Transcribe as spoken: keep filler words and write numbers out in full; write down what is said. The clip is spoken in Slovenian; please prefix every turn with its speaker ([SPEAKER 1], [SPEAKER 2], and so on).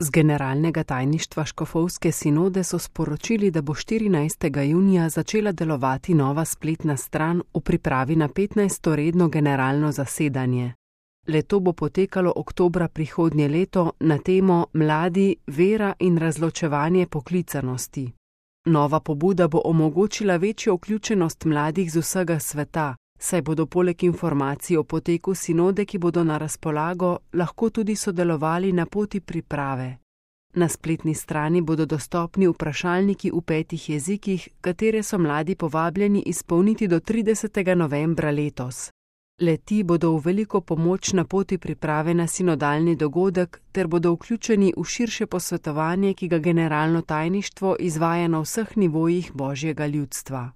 [SPEAKER 1] Z generalnega tajništva Škofovske sinode so sporočili, da bo štirinajstega junija začela delovati nova spletna stran v pripravi na petnajsto redno generalno zasedanje. Le-to bo potekalo oktobra prihodnje leto na temo Mladi, vera in razločevanje poklicanosti. Nova pobuda bo omogočila večjo vključenost mladih z vsega sveta, saj bodo poleg informacij o poteku sinode, ki bodo na razpolago, lahko tudi sodelovali na poti priprave. Na spletni strani bodo dostopni vprašalniki v petih jezikih, katere so mladi povabljeni izpolniti do tridesetega novembra letos. Le-ti bodo v veliko pomoč na poti priprave na sinodalni dogodek ter bodo vključeni v širše posvetovanje, ki ga generalno tajništvo izvaja na vseh nivojih Božjega ljudstva.